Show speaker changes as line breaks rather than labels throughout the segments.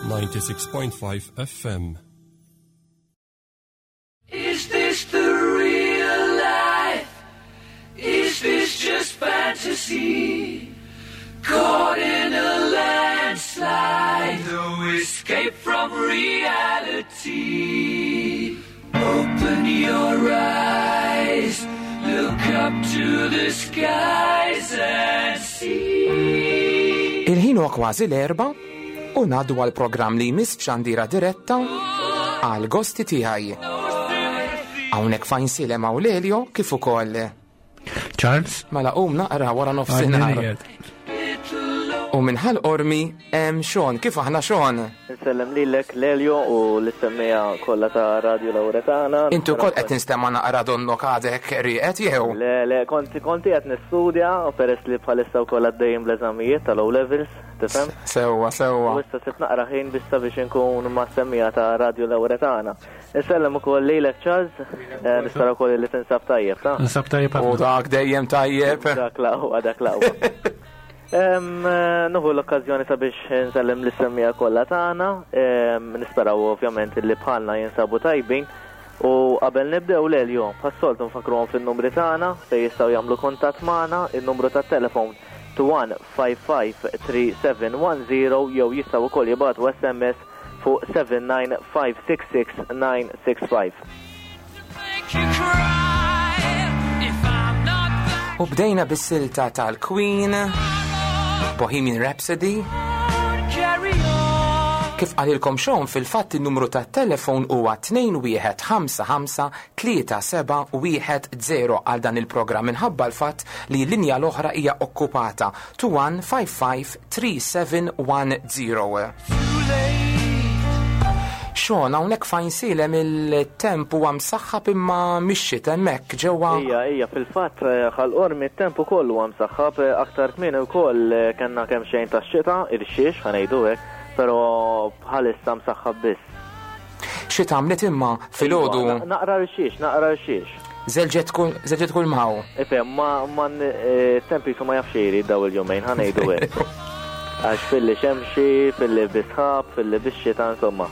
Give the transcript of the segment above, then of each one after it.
96.5 FM.
Is this the real life? Is this just fantasy? Caught in a landslide, no escape from reality. Open your eyes, look up to the skies and see.
Il-ħin huwa kważi l-erba u ngħaddu għal programm li jmiss f'xandira diretta għal gosti tiegħi. Hawnhekk fajn silem hawn Lelio kif ukoll
Charles?
Mela qum naqra wara nofsinhar. U minħal ormi hemm Sean, kif aħna Sean?
Nsellem lilek Lelio u l-semmija kollha ta' Radio Lauretana.
Intu wkoll qed ninstema' naqra donnok għadek rieqed jew?
Le, le, konti konti qed nistudja u peress li bħalissa wkoll għaddejjin bl-eżamijiet tal-O levels, tifhem?
Sewwa, sewwa.
U issa sibt naqra ħin biex sabiex inkun ma' semmija ta' Radio Lauretana. Insellem ukoll lilek Charles, eh, nispera wkoll li tinsab tajjeb, ta?
Nsab tajjeb
U dak dejjem tajjeb.
Dak laqwa, dak laqwa. Eh, Nuhu l-okkazjoni sabiex nsellem l-semmija kollha tagħna, nisperaw ovvjament li bħalna jinsabu tajbin. U qabel nibdew l-Elio, bħas-soltu nfakruhom fin-numri tagħna fejn jistgħu jagħmlu kuntatt magħna, in-numru tat-telefon 21553710 jew jistgħu wkoll jibagħtu SMS fuq 79566965.
U bdejna bis-silta tal-Queen, Bohemian Rhapsody. Kif qalilkom Sean fil-fatt in-numru tat-telefon huwa 21553710 għal dan il-programm minħabba l-fatt li l-linja l-oħra hija okkupata 21553710. Sean, hawnhekk fajn silem il-temp huwa msaħħab imma mixxit hemmhekk ġewwa.
Ija, ija, fil-fatt eh, ħal-qormi t-temp ukoll huwa msaħħab eh, aktar kmieni wkoll eh, kellna kemm xejn tax-xita, irxiex ħanejdu hekk, però bħalissa msaħħab biss.
Xi tagħmlet imma filgħodu?
Iva, naqra rxiex, naqra rxiex.
Żelġet kull żelġet kull maw.
Ifhem, ma ma t-temp jisu ma jafx jrid daw il-jumejn ħanejdu hekk. Għax filli xemxi, filli bisħab, filli bix-xita, insomma.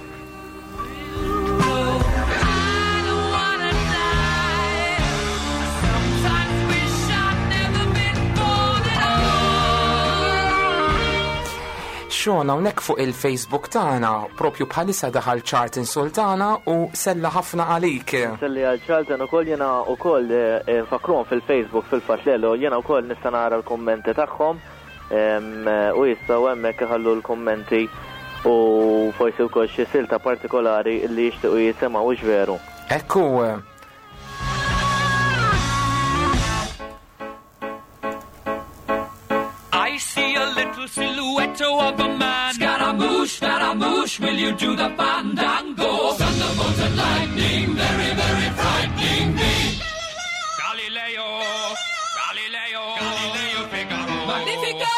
Sean hawnhekk fuq il-Facebook tagħna propju bħalissa daħal Charlton Sultana u sella ħafna għalik.
Selli għal Charlton ukoll jiena ukoll eh, eh, nfakruhom fil-Facebook fil-fatt lelu jiena wkoll nista' nara l-kummenti tagħhom eh, u jistgħu hemmhekk iħallu l-kummenti u forsi wkoll xi silta partikolari li jixtiequ jisimgħu veru.
Ekku.
I see a little silhouette of a man. Scaramouche, Scaramouche, will you do the fandango? Thunderbolt and lightning, very, very frightening me. Galileo, Galileo, Galileo Figaro. Magnifico!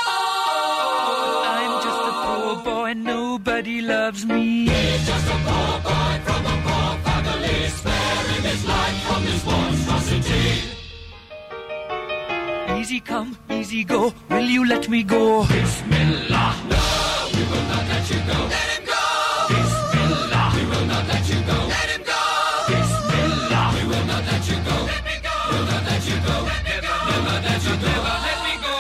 I'm just a poor boy, nobody loves me. He's just a poor boy from a poor family, sparing his life from this monstrosity. Easy come, easy go, will you let me go? Bismillah. No, we will not let you go. Let him go. Bismillah. We will not let you go. Let him go. Bismillah. We will not let you go. Let me go. We'll not let you go. Let me go. We'll not let you go. Never let me go.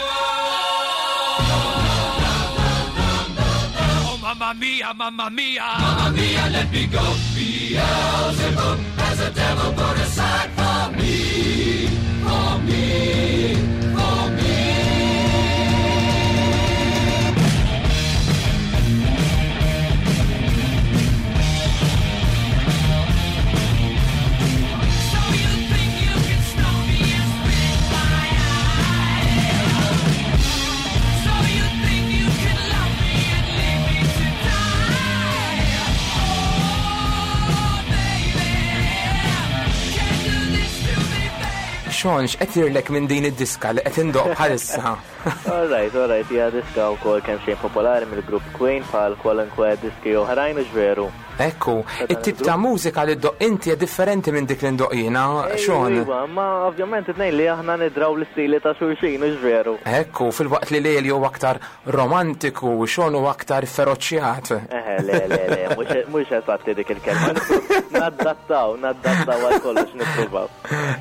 Oh, mamma mia, mamma mia. Mamma mia, let me go. Beelzebub has a devil put aside for me. For me. For me. So you think you can stop me and spit my eyes? So you think you can love me and leave me to die? Oh, baby, can't do this to me, baby.
Sean, x'qed jirlek minn din id-diska li qed indoq bħalissa?
All right, all right, hija diska wkoll kemm xejn popolari mill-grupp Queen bħal kwalunkwe diski oħrajn u veru.
Ekku, it-tip ta' mużika li ddoq inti hija differenti minn dik li ndoq jiena, Sean.
Iva, ma ovvjament it-tnejn li aħna nidraw l-istili ta' xulxin, u veru.
Ekku, fil-waqt li Leli huwa aktar romantiku, Sean huwa aktar feroċjat.
Eħe, le, le, le, mhux eżatti dik il-kelma. Naddattaw, naddattaw għal kollox nippruvaw.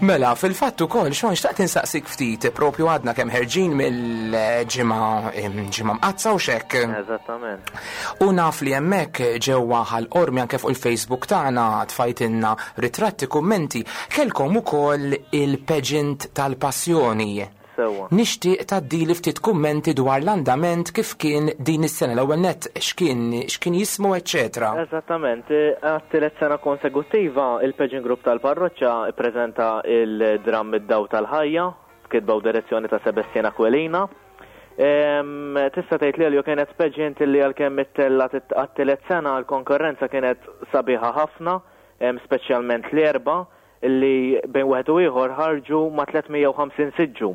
Mela, fil-fatt ukoll, Sean, xtaqt insaqsik ftit, propju għadna kemm ħerġin mill-ġimgħa ġimgħa mqaddsa u x'hekk.
Eżattament.
U naf li hemmhekk ġewwa Ħal Qormi anke fuq il-Facebook tagħna tfajtilna ritratti, kummenti, kellkom ukoll il-pageant tal-Passjoni.
Sewwa.
Nixtieq tgħaddili ftit kummenti dwar l-andament kif kien din is-sena, l-ewwel nett x'kien, x'kien jismu eċċetera.
Eżattament. Għat-tielet sena konsekuttiva, il-Pageant Group tal-Parroċċa ppreżenta l-dramm Id-Dawl tal-Ħajja, b'kitba u direzzjoni ta' Sebastien Aquilina. Tista' tgħid li Elio kienet pageant li għalkemm ittellgħet għat-tielet sena, l-konkorrenza kienet sabiħa ħafna, speċjalment l-Erbgħa, li bejn wieħed u ieħor ħarġu ma' 350 siġġu.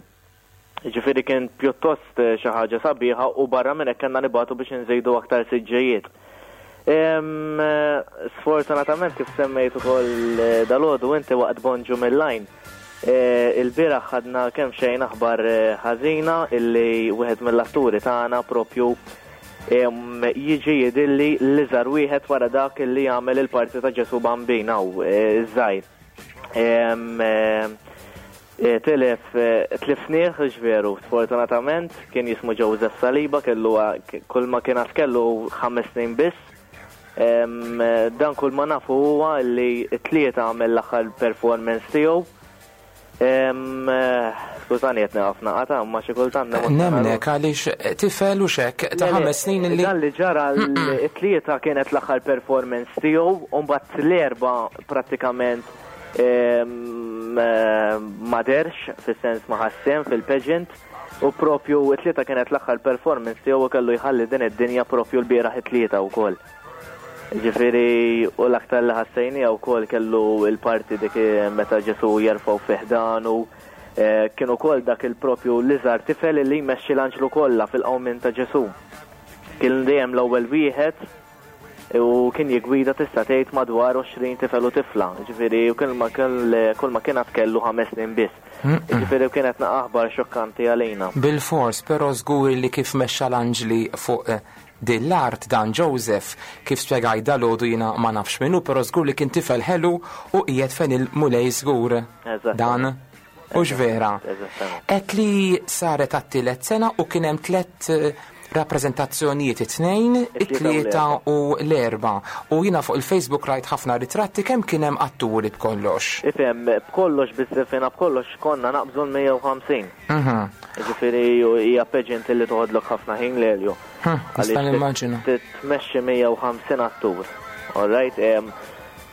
Jiġifieri kien pjuttost xi ħaġa sabiħa u barra minn hekk kellna nibagħtu biex inżidu aktar siġġijiet. Sfortunatament kif semmejt ukoll dalgħodu inti waqt Bonġu mill-Għajn, ilbieraħ ħadna kemxejn aħbar ħażina illi wieħed mill-atturi tagħna propju Jiġi jidhirli l-iżgħar wieħed wara dak li jagħmel il-parti ta' Ġesù Bambin hawn, iż-żgħir. Tilef tlifnieh, veru, sfortunatament, kien jismu Joseph Saliba, kellu kull ma kien għad kellu 5 snin biss. Dan kull ma nafu huwa li t-Tlieta għamel l-aħħar performance tiegħu. Skużani qed nieqaf naqata' imma xi kultant
nemozzjona. Nemmnek għaliex tifel u x'hekk ta' 5 snin li.
Dan li ġara t-Tlieta kienet l-aħħar performance tiegħu u mbagħad l-Erbgħa prattikament ma dehrx fis-sens ma ħax sehem fil-pageant u propju t-Tlieta kienet l-aħħar performance tiegħu u kellu jħalli din id-dinja propju l-bieraħ it-Tlieta wkoll. Ġifieri, u l-aktar li ħassejniha wkoll kellu l-parti dik meta Ġesù jerfgħu fi ħdanu, kien ukoll dak il-propju l-iżgħar tifel li jmexxi l-anġlu kollha fil-qawmien ta' Ġesù. Kien dejjem l-ewwel wieħed u kien jiggwida tista' tgħid madwar 20 tifel u tifla. Ġifieri, u kien ma kull ma kien għad kellu 5 snin biss. Ġifieri kienet naqa' aħbar xokkanti għalina.
Bilfors, però żgur li kif mexxa l-anġli fuq Din l-art dan Joseph, kif spjegajt dalgħodu jiena ma nafx min hu però żgur li kien tifel ħelu u qiegħed fejn il-Mulej żgur. Dan hux vera? Għedt li saret għat-tielet sena u kien hemm tlett rappreżentazzjonijiet it-Tnejn, it-Tlieta u l-Erbgħa. U jiena fuq il-Facebook rajt ħafna ritratti kemm kien hemm atturi b'kollox?
Ifhem, b'kollox biż-żifina b'kollox konna naqbżu l-150. Ġifieri hija pageant li toħodlok ħafna ħin l-Elio.
Nista' nimmaġina.
Tmexxi 150 attur. All right?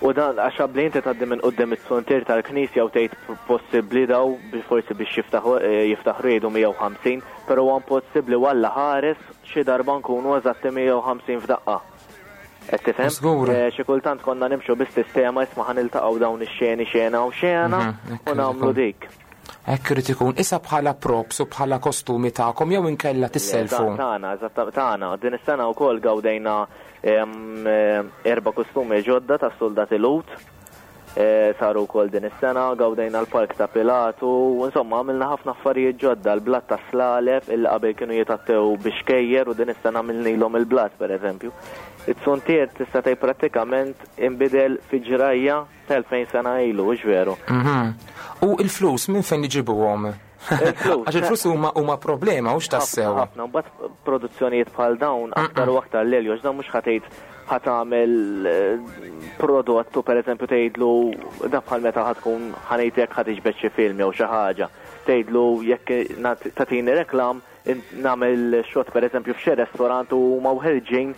U dan għax qabli inti tgħaddi minn quddiem it-suntier tal-knisja u tgħid possibbli daw forsi biex jiftaħu jiftaħru jgħidu 150, però huwa impossibbli u Alla ħares xi darba nkunu eżatti 150 f'daqqa. Qed tifhem?
Żgur.
Xi kultant konna nimxu bis-sistema isma' ħa niltaqgħu dawn ix-xeni xena u xena u nagħmlu dik.
Hekk irid ikun. Issa bħala props u bħala kostumi tagħkom jew inkella tisselfu?
Tagħna, eżatt tagħna. Din is-sena wkoll gawdejna erba' kostumi ġodda tas-suldati Lhud. Saru wkoll din is-sena, gawdejna l-Park ta' Pilatu, insomma għamilna ħafna affarijiet ġodda, l-blat tas-slaleb illi qabel kienu jitgħattew bi xkejjer u din is-sena għamilnilhom il-blat pereżempju. It-suntier tista' tgħid prattikament inbidel fi ġrajja Ta' 2000 sena ilu, hux veru?
Mhm. U il-flus minn fejn iġibuhom?
Il-flus.
Għax il-flus huma huma problema, hux tassew.
Ħafna, mbagħad produzzjonijiet bħal dawn aktar u aktar l-elju, għax dawn mhux ħatejt ħatamel prodott u pereżempju tgħidlu da bħal meta ħatkun ħanejtek ħa tiġbed xi film jew xi ħaġa. Tgħidlu jekk tagħtini reklam nagħmel xot pereżempju f'xi restorant u huma wħerġin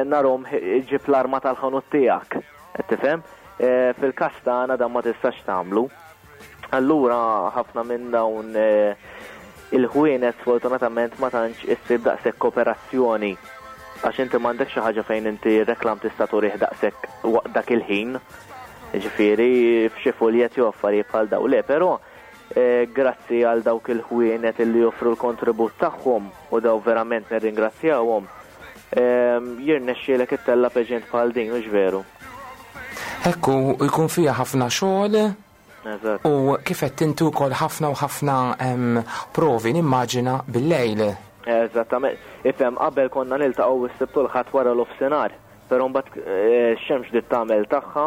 narhom ġib l-arma tal-ħanut tiegħek. Qed tifhem? Fil-każ tagħna dan ma tistax tagħmlu. Allura ħafna minn dawn il-ħwienet sfortunatament ma tantx issib daqshekk kooperazzjoni għax inti m'għandekx xi ħaġa fejn inti reklam tista' turih daqshekk waqt dak il-ħin. Ġifieri f'xi fuljet jew affarijiet bħal dawn. Le, però Grazzi għal dawk il-ħwienet li joffru l-kontribut tagħhom u daw verament nirringrazzjawhom. Jirnexxielek ittella' pageant bħal din, hux veru?
Ekku, jkun fiha ħafna xogħol. U kif qed inti wkoll ħafna u ħafna provi nimmaġina bil-lejl.
Eżattament. Ifhem, qabel konna niltaqgħu s-Sibt u l-Ħadd wara l-ofsinhar, però mbagħad x-xemx bdiet tagħmel tagħha,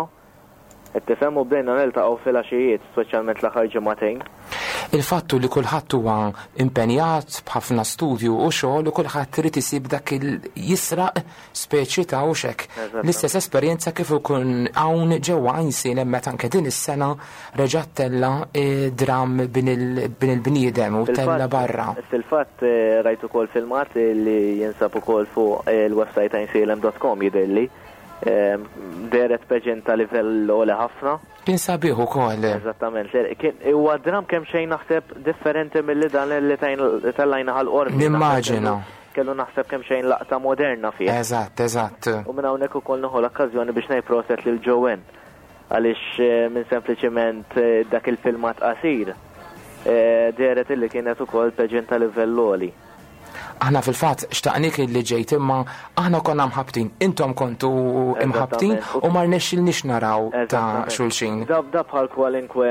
qed tifhem, u bdejna niltaqgħu filgħaxijiet, speċjalment l-aħħar ġimagħtejn.
Il-fatt hu li kulħadd huwa impenjat b'ħafna studju u xogħol u kulħadd irid isib dak il jisraq speċi ta' hux hekk. L-istess esperjenza kif ikun hawn ġewwa Għajnsielem meta anke din is-sena reġa' ttella' dramm Bin il-Bniedem u ttella' barra.
Fil-fatt rajt ukoll filmat li jinsab ukoll fuq il-website għajnsielem dot com jidhirli. Dehret pageant ta' livell għoli ħafna.
Kien sabiħ ukoll.
Eżattament. Huwa dramm kemxejn naħseb differenti milli dan li tellajna Ħal Qormi.
Nimmaġina.
Kellu naħseb kemxejn laqta moderna fih.
Eżatt, eżatt.
U minn hawnhekk ukoll nieħu l-okkażjoni biex ngħid proset lil Joanne għaliex minn sempliċiment dak il-filmat qasir dehret illi kienet ukoll pageant ta' livell għoli.
Aħna fil-fatt xtaqnik li ġejt imma aħna konna mħabbtin, intom kontu imħabbtin u ma rnexxilniex naraw ta' xulxin.
Da bħal kwalinkwe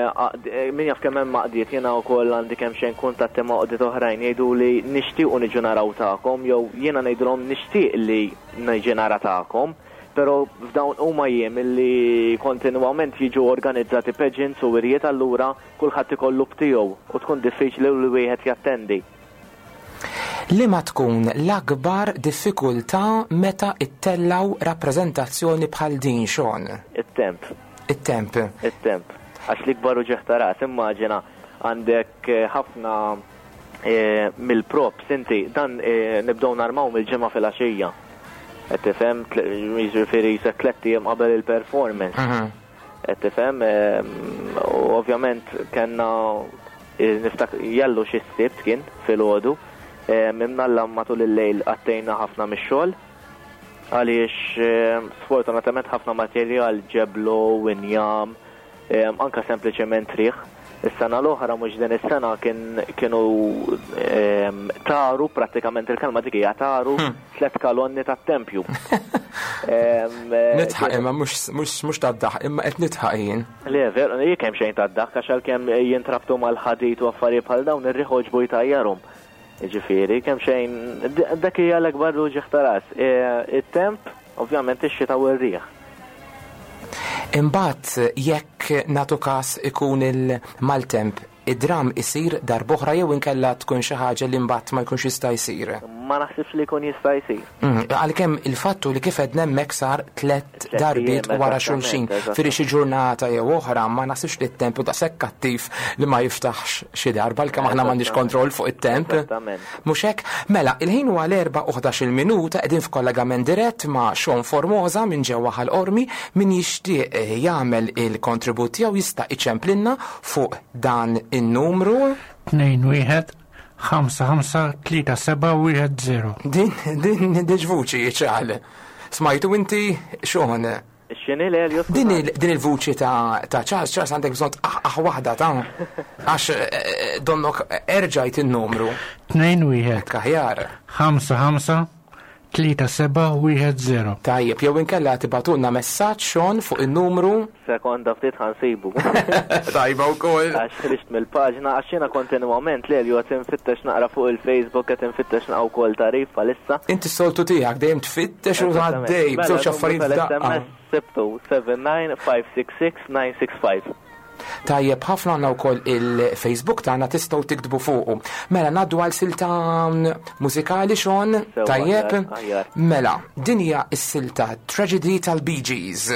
min jaf kemm hemm għaqdiet, jiena wkoll għandi kemm xejn kuntatti ma' għaqdiet oħrajn jgħiduli nixtiequ niġu naraw tagħkom jew jiena ngħidilhom nixtieq li niġi nara tagħkom, però f'dawn huma jiem li kontinwament jiġu organizzati pageants u wirjiet allura kulħadd ikollu b'tiegħu u tkun diffiċli li wieħed jattendi.
Liema tkun l-akbar diffikultà meta ttellgħu rappreżentazzjoni bħal din, Sean?
It-temp.
It-temp.
It-temp. Għax l-ikbar uġigħ ta' ras, immaġina għandek ħafna mill-props inti, dan nibdew narmaw mill-Ġimgħa filgħaxija. Qed tifhem? Jiġifieri jisek tlett ijiem qabel il-performance. Qed tifhem? U ovvjament kellna niftak jallu xi sibt kien filgħodu. Imnalla matul il-lejl qattejna ħafna mix-xogħol għaliex sfortunatament ħafna materjal ġeblo, injam, anka sempliċement riħ. Is-sena l-oħra mhux din is-sena kien kienu taru prattikament il-kelma dik hija taru tliet kalonni tat-tempju.
Nidħaq imma mhux tad-daħq imma qed nidħaq jien.
Le, veru, jien kemm xejn tad-daħk għax għalkemm jintrabtu mal-ħadid u affarijiet bħal dawn ir-riħ għoġbu jtajjarhom. Jiġifieri, kemm xejn dak hija l-akbar uġigħ ta' ras. It-temp, ovvjament ix-xita u r-riħ.
Imbagħad jekk nagħtu każ ikun il-maltemp, id-dramm isir darb'oħra jew inkella tkun xi ħaġa li mbagħad ma jkunx jista' jsir?
Ma naħsibx li jkun jista' jsir.
Għalkemm il-fatt hu li kif għedna hemmhekk sar tlett darbiet wara xulxin. Fieri xi ġurnata jew oħra ma naħsibx li t-temp hu daqshekk kattiv li ma jiftaħx xi darba għalkemm aħna m'għandniex kontroll fuq it-temp. Mhux hekk? Mela, il-ħin huwa l-erbgħa u ħdax-il minuta qegħdin f'kollegament dirett ma' Sean Formosa minn ġewwa Ħal Qormi. Min jixtieq jagħmel il-kontribut tiegħu jista' iċemplilna fuq dan in-numru.
2 1 5 5 3 7 1 0.
Din, din, din vuċi ċal. Smajtu inti, Sean?
X'inhi l-Elio?
Din il-vuċi ta' Charles, Charles għandek bżonn tqaħqaħ waħda ta' għax donnok erġajt in-numru.
2 1.
Kaħjar.
5 5 3 7 1 0.
Tajjeb, jew inkella tibgħatulna messaġġ Sean fuq in-numru.
Sekonda ftit ħansibu.
Tajba wkoll.
Għax ħriġt mill-paġna, għax jiena kontinwament l-Elio qed infittex naqra fuq il-Facebook, qed infittex naqra wkoll tarif bħalissa.
Inti s-soltu tiegħek dejjem tfittex u tgħaddej b'żewġ affarijiet f'daqqa.
Sibtu 79566965.
Tajjeb ħafna għandna wkoll il-Facebook tagħna tistgħu tiktbu fuqu. Mela ngħaddu għal silta mużikali Sean, tajjeb? Mela, din hija s-silta Tragedy tal-Bee Gees.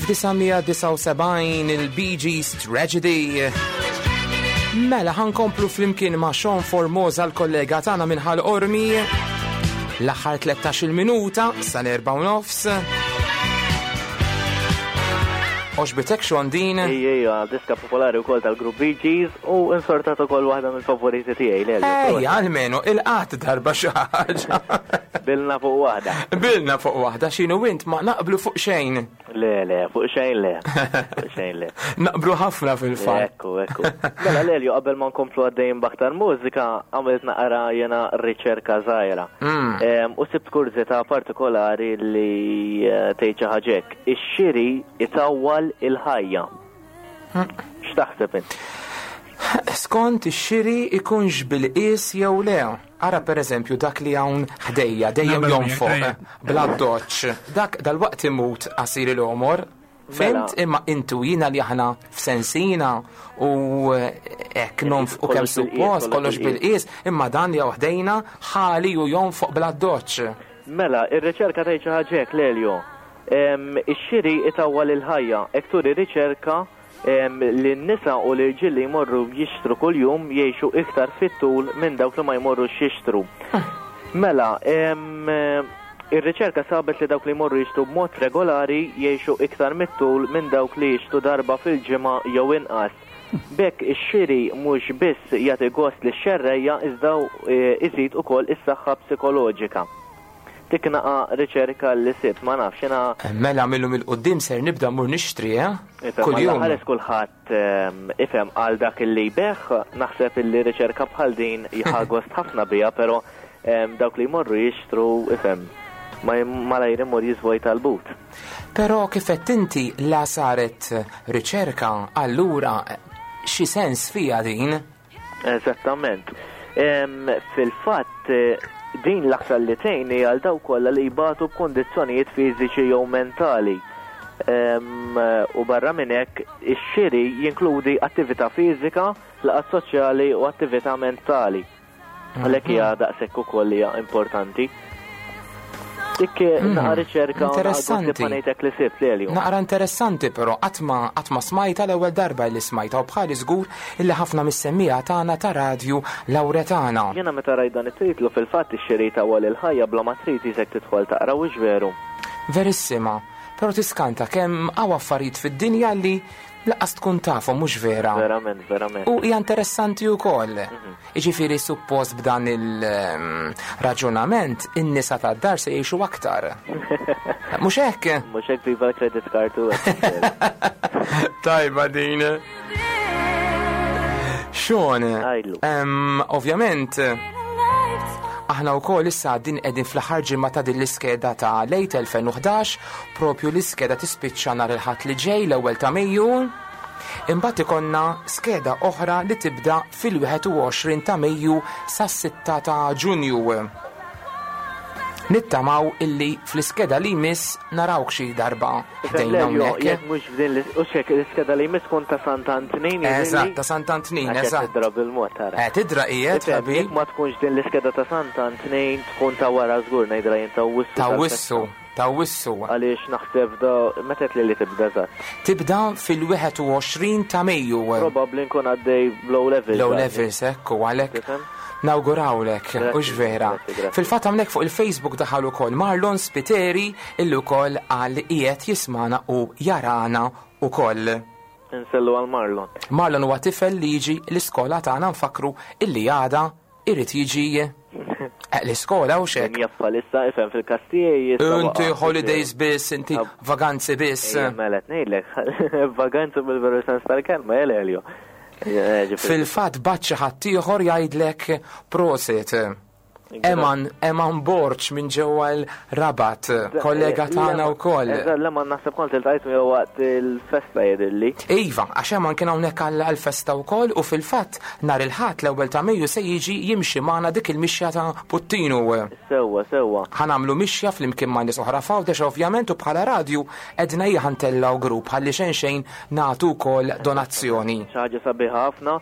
1979 il-Bee Gees Tragedy. Mela ħankomplu flimkien ma' Sean Formosa l-kollega tagħna minn Ħal Ormi. L-aħħar 13-il minuta sal-4 u nofs. Oġbitek Sean din?
Ejja, ejja, diska popolari wkoll tal-grupp Bee Gees u insortat ukoll waħda mill-favoriti tiegħi l
Ejja, almenu il-qatt darba xi ħaġa.
Bilna fuq waħda.
Bilna fuq waħda x'inhu int ma naqblu fuq xejn.
Le, le, fuq xejn le. Fuq xejn le.
Naqblu ħafna fil-fatt.
Ekku, ekku. Mela Lelio, qabel ma nkomplu għaddejjin b'aktar mużika, għamilt naqra jena riċerka żgħira. U sibt kurżità partikolari li eh, tgħid xi ħaġa hekk. Ix-xiri itawwal il-ħajja. X'taħseb int?
Skont ix-xiri ikunx bil-qies jew le. Ara pereżempju dak li hawn ħdejja dejjem jonfoq bla doċ. Dak dal-waqt imut qasir il-għomor. Mela. Fimt imma intu jina li aħna f'sensina u hekk nonfqu kemm suppost kollox bil-qies, imma dan li hawn ħdejna ħali u jonfoq bla doċ.
Mela, ir-riċerka tgħid xi ħaġa hekk, Lelio. Ix-xiri itawwal il-ħajja, hekk turi riċerka li n-nisa u l-irġiel li jmorru jixtru kuljum jgħixu iktar fit-tul minn dawk li ma jmorrux jixtru. Mela, ir-riċerka sabet li dawk li jmorru jixtru b'mod regolari jgħixu iktar mit-tul minn dawk li jixtru darba fil-ġimgħa jew inqas. B'hekk ix-xiri mhux biss jagħti gost lix-xerrejja iżda iżid ukoll is-saħħa psikoloġika. Dik naqa' riċerka li sibt, ma nafx, jiena.
Mela mil-lum 'il quddiem ser nibda mmur nixtri, eh?
Ifhem,
Kuljum.
Alla ħares kulħadd ifhem għal dak illi jbigħ, naħseb illi riċerka bħal din ħa gost ħafna biha, però dawk li jmorru jixtru, ifhem, ma malajr imur jiżvojta l-but.
Però kif għedt inti la saret riċerka, allura xi sens fiha din?
Eżattament. Fil-fatt, din l-aktar li tgħin hija għal dawk kollha li jbatu b'kundizzjonijiet fiżiċi jew mentali. U barra minn hekk, ix-xiri jinkludi attività fiżika, laqgħat soċjali u attività mentali. Għalhekk hija daqshekk ukoll hija importanti. Dik mhm. naqra riċerka
interessanti.
Ngħidlek li sibt li
Naqra interessanti però qatt ma smajta l-ewwel darba li smajta u bħali żgur illi ħafna mis-semmija tagħna ta' radju Lawretana.
Jiena meta rajt dan it-titlu fil-fatt ix-xiri ta' wal il-ħajja bla ma trid isek tidħol taqra u veru.
Verissima, però tiskanta kemm hawn affarijiet fid-dinja li Laqqas tkun tafhom mhux vera.
Verament, verament.
U hija interessanti wkoll. Mhm. Jiġifieri suppost b'dan il-raġunament in-nisa tad-dar se jgħixu aktar. Mhux hekk?
Mhux hekk viva l-credit card u
Tajba din. Sean, ovvjament, aħna wkoll issa din qegħdin fl-aħħar ġimgħa ta' din l-iskeda ta' lejt 2011 Propju l-iskeda tispiċċa nhar il-Ħadd li ġej l-ewwel ta' Mejju. Imbagħad ikollna skeda oħra li tibda fil-21 ta' Mejju sas-6 ta' Ġunju. Nittamaw illi fl-iskeda li jmiss narawk xi darba ħdejna hawnhekk.
Jekk mhux f'din l-iskeda li jmiss tkun ta' Sant'Antnin.
Eżatt, ta' Sant'Antnin, eżatt.
Tidra bil-mod tara.
Eh, tidra qiegħed ħabib.
Jekk ma tkunx din l-iskeda ta' Sant'Antnin tkun ta' wara żgur ngħidilha jien ta' Wissu.
Ta' Wissu. Ta' Awwissu.
Għaliex naħseb da, meta għedt li li tibda eżatt?
Tibda fil-21 ta' Mejju.
Probabbli nkun għaddej bl-O levels.
L-O levels, ekku, għalhekk. Nawgurawlek, hux vera. Fil-fatt hawnhekk fuq il-Facebook daħal ukoll Marlon Spiteri illi wkoll qal li qiegħed jismagħna u jarana wkoll.
Insellu għal Marlon.
Marlon huwa tifel li jiġi l-iskola tagħna nfakkru illi għada Irid jiġi eh, l-iskola u xek.
Jaf bħalissa ifhem fil-każ tiegħi.
Inti holidays biss, inti vaganzi biss.
Mela ngħidlek, vaganzi bil-veru sens tal-kelma, Elelio.
Eh, Fil-fatt bat xi ħadd ieħor jgħidlek prosit. Eman, Eman Borċ minn ġewwa l-Rabat, kollega eh, tagħna wkoll.
Eżatt, Eman naħseb kont iltqajt miegħu waqt il-festa jidhirli.
Iva, għax Eman kien hawnhekk għall-festa wkoll u fil-fatt nhar il-Ħadd l-ewwel ta' Mejju se jiġi jimxi magħna dik il-mixja ta' Puttinu.
Sewwa, sewwa.
Ħa nagħmlu mixja flimkien ma' nies oħra f'Għawdex ovvjament u bħala radju għedna ejja ħa ntellgħu grupp ħalli xejn xejn nagħtu wkoll donazzjoni.
Xi ħaġa sabiħa ħafna.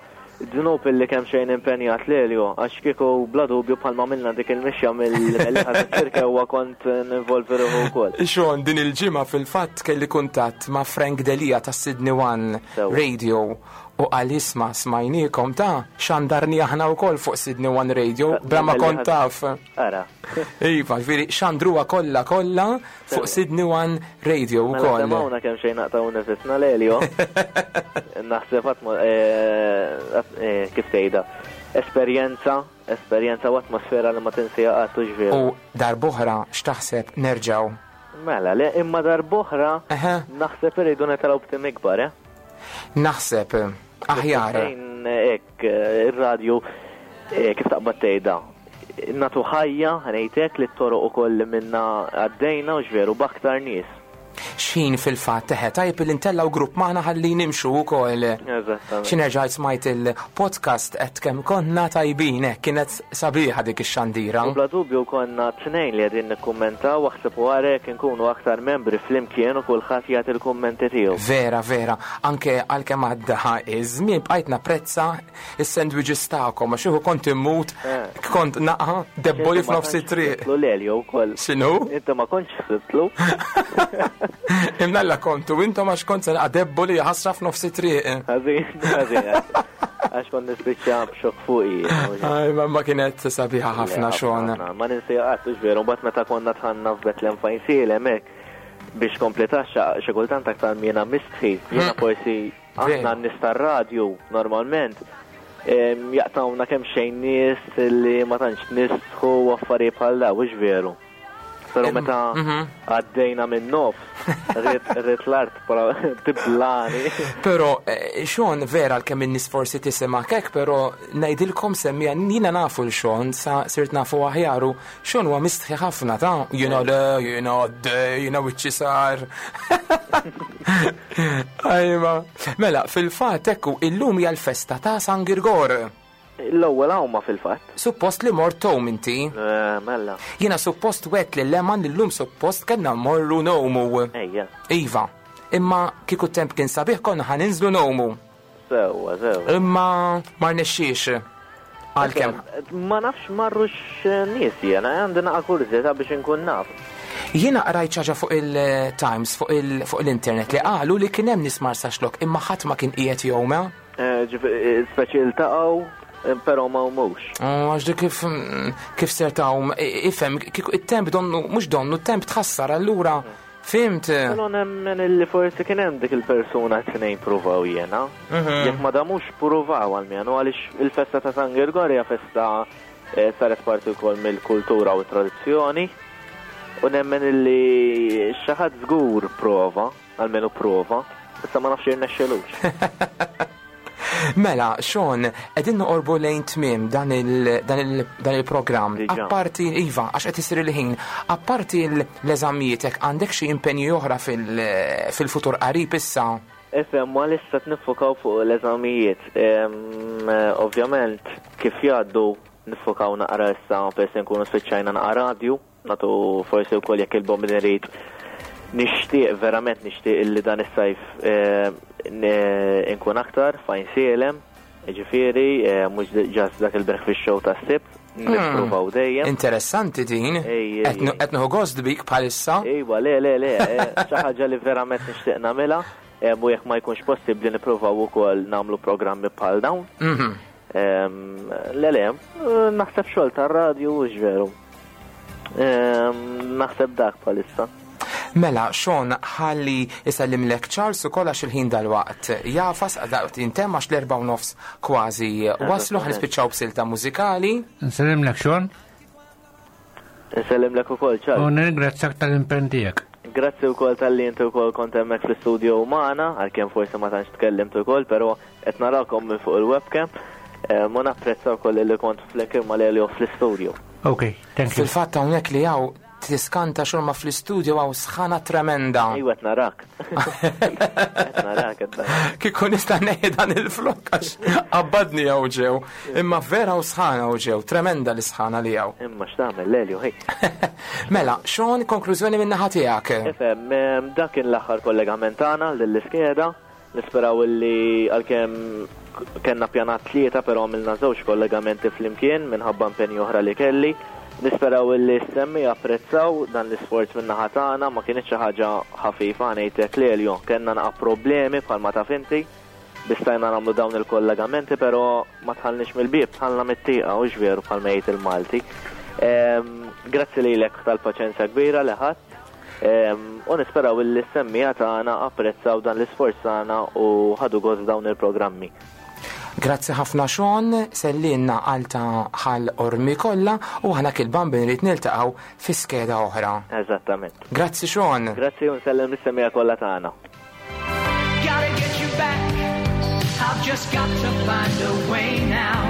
Dnub illi kemm xejn impenjat Lelio, għax kieku bla dubju bħalma għamilna dik il-mixja mill-Mellieħa saċ-Ċirkewwa kont ninvolvi ruħi wkoll.
Sean, din il-ġimgħa fil-fatt kelli kuntatt ma' Frank Delia ta' Sydney One Radio u qal isma' smajniekom ta' xandarni aħna wkoll fuq Sydney One Radio bla ma kont taf.
Ara.
Iva, ġifieri xandruha kollha kollha fuq Sydney One Radio
mela,
wkoll.
Mela semgħuna kemm xejn naqtgħu nifisna Lelio. Naħseb qatt eh, eh, kif tgħidha. Esperjenza, esperjenza u atmosfera li ma tinsija qatt u ġvieru.
U darb'oħra x'taħseb nerġgħu?
Mela, le imma darb'oħra naħseb irridu netalgħu b'tim ikbar, eh?
Naħseb aħjar.
Hekk ir-radju eh, kif taqbad tgħidha natu ħajja, ngħidlek li t-toroq ukoll li minna għaddejna u veru b'aktar nies.
X'ħin fil-fatt eħe tajjeb li ntellgħu grupp magħna ħalli nimxu wkoll.
Eżattament.
Xi nerġa' smajt il-podcast qed kemm konna tajbin hekk kienet sabiħa dik ix-xandira.
U bla dubju konna tnejn li qegħdin nikkummentaw aħseb u ara jekk inkunu aktar membri flimkien u kulħadd jagħti l-kummenti tiegħu.
Vera, vera, anke għalkemm għadda iż-żmien bqajt napprezza Is-sandwiches tagħkom għax iħu kont immut, eh. kont naqa' debboli f'nofs it-triq.
Tlu l-Elio wkoll.
X'inhu?
Inti ma kontx sibtlu.
Imnalla kontu intom għax kont se naqa' debboli ħasra f'nofs it-triq.
Ħażin, ħażin. Għax kont nispiċċa b'xokk fuqi.
Aj, ma kienet sabiħa ħafna xogħol.
Ma ninsi qatt veru, mbagħad meta konna tħanna f'Betlem fejn sielem hekk biex kompletax xi kultant aktar jiena mistħi, jiena hmm. forsi Aħna n-nies tar-radju normalment jaqtawna kemm xejn nies li ma tantx nistħu u affarijiet bħal daw, hux veru? Però meta mhm. għaddejna minn nofs, rrit l-art tiblani.
Però eh, Sean vera l-kemm in-nies forsi tisimgħek hekk, però ngħidilkom semmija jiena nafu l Sean sa sirt nafu aħjaru Sean huwa mistħi ħafna ta' jiena le, jiena għaddej, jiena wiċċi sar. Ajma. Mela, fil-fatt ekku illum hija l-festa ta' San Girgor.
L-ewwel għawma fil-fatt.
Suppost li mort tgħum inti.
Eh, mela.
Jiena suppost wet li leman li llum suppost kellna mmorru ngħumu.
Ejja.
Iva. Imma kieku temp kien sabiħ konna ħa ninżlu ngħumu.
Sewwa, sewwa.
Imma ma rnexxiex. Għalkemm.
Ma nafx marrux nies jiena, għandi naqa' kurżità biex inkun naf.
Jiena qrajt xi ħaġa fuq il-Times, fuq l-internet li qalu li kien hemm nies Marsaxlokk imma ħadd ma kien qiegħed jgħum.
Eh, eh, speċi iltaqgħu, eh, però ma humux.
Oh, għax dik kif kif ser tgħum, ifhem, it-temp donnu, mhux donnu, t-temp tħassar allura Fimt?
Però nemmen illi forsi kien hemm dik il-persuna tnejn pruvaw jiena. Mhm. Jekk ma damux pruvaw għalmenu għaliex il-festa ta' San Girgor hija festa eh, saret parti wkoll mill-kultura u tradizzjoni. U nemmen illi xi ħadd żgur prova, almenu prova, issa ma nafx irnexxelux.
Mela, Sean, qegħdin noqorbu lejn tmiem dan il-programm. Apparti, iva, għax qed isir il-ħin, apparti l-eżamijiet hekk għandek xi impenji oħra fil-futur qarib issa?
Ifhem, ma lissa niffokaw fuq l-eżamijiet. Ovvjament, kif jgħaddu niffokaw naqra issa peress nkunu spiċċajna naqra radju. Nagħtu forsi wkoll jekk il-Bombin irid nixtieq verament nixtieq illi dan is-sajf eh, nkun aktar fajn sielem, ġifieri eh, mhux ġast dak il-breakfast show tas-Sibt, hmm. nippruvaw dejjem.
Interessanti din. Qed nieħu gost bik bħalissa.
Ejwa, le, le, le, eh, xi ħaġa li verament nixtieq nagħmilha u jekk ma jkunx possibbli nippruvaw ukoll nagħmlu programmi bħal dawn.
Mhm.
Le, le, naħseb xogħol tar-radju hux veru. Naħseb dak bħalissa.
Mela, Sean, ħalli isellimlek Charles ukoll għax il-ħin dalwaqt jafas, daqt jintemm għax l-4:30 kważi waslu, ħa nispiċċaw b'silta mużikali.
Nsellimlek Sean.
Nsellimlek ukoll Charles.
U nirringrazzjak tal-impenn tiegħek.
Grazzi wkoll talli inti wkoll kont hemmhekk fl-istudio magħna, għalkemm forsi ma tantx tkellimt ukoll, però Qed narakom minn fuq il-webcam. Ma napprezza wkoll li kont flimkien ma' Lelio fl-istudio.
Ok, thank you.
Fil-fatt hawnhekk li hawn tiskanta xorma fl-istudio hawn sħana tremenda.
Ejwa qed narak. Qed narak, qed narak.
Kieku nista' neħi dan il-flokk għax qabbadni hawn ġew. Imma vera hawn sħana hawn ġew, tremenda l-isħana li hawn.
Imma x'tagħmel Lelio, ħej.
Mela, Sean, konklużjoni min-naħa tiegħek.
Ifhem, dak kien l-aħħar kollegament tagħna lill-iskeda. Nisperaw illi għalkemm Kellna pjanat tlieta però għamilna żewġ kollegamenti flimkien minħabba impenji oħra li kelli. Nisperaw illi s-semmiegħa apprezzaw dan l-isforz min-naħa tagħna, ma kinitx xi ħaġa ħafifa ngħidlek Lelio, kellna naqa' problemi bħalma taf inti biex stajna nagħmlu dawn il-kollegamenti però ma dħalniex mill-bieb, dħalna mit-tieqa hux veru bħalma jgħid il-Malti. Grazzi lilek tal-paċenzja kbira li ħadt. U nisperaw illi s-semmiegħa tagħna apprezzaw dan l-isforz tagħna u ħadu gost dawn il-programmi.
Grazzi ħafna Sean, sellinna għal ta' Ħal Qormi kollha u aħna kil-Bambin irid niltaqgħu fi skeda oħra.
Eżattament.
Grazzi Sean.
Grazzi u nsellem lis-semmiegħa kollha tagħna. Gotta get you back. I've just got to find a way now.